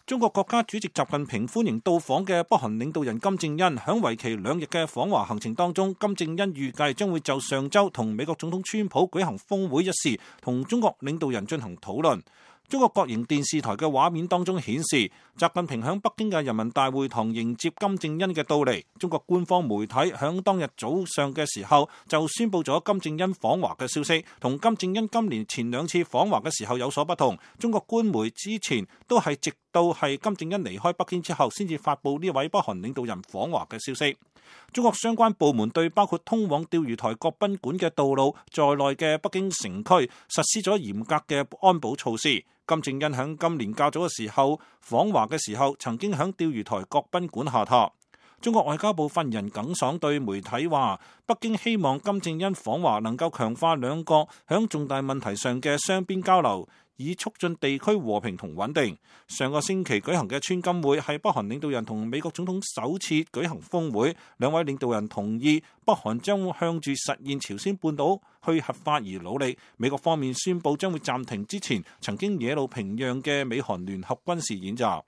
中國國家主席習近平歡迎到訪嘅北韓領導人金正恩。響為期2日嘅訪華行程當中，金正恩預計將會就上週同美國總統川普舉行峰會一事，同中國領導人進行討論。中國國營電視台嘅畫面當中顯示，習近平響北京嘅人民大會堂迎接金正恩嘅到嚟。中國官方媒體響當日早上嘅時候就宣布咗金正恩訪華嘅消息，同金正恩今年前2次訪華嘅時候有所不同。中國官媒之前都係直到係金正恩離開北京之後，先至發布呢位北韓領導人訪華嘅消息。中國相關部門對包括通往釣魚台國賓館嘅道路在內嘅北京城區實施咗嚴格嘅安保措施。金正恩喺今年較早嘅時候訪華嘅時候，曾經喺釣魚台國賓館下榻。中國外交部發言人耿爽對媒體話，北京希望金正恩訪華能夠強化兩國喺重大問題上嘅雙邊交流，以促進地區和平同穩定。上個星期舉行嘅川金會係北韓領導人同美國總統首次舉行峰會，兩位領導人同意北韓將向住實現朝鮮半島去核化而努力。美國方面宣布將會暫停之前曾經惹怒平壤嘅美韓聯合軍事演習。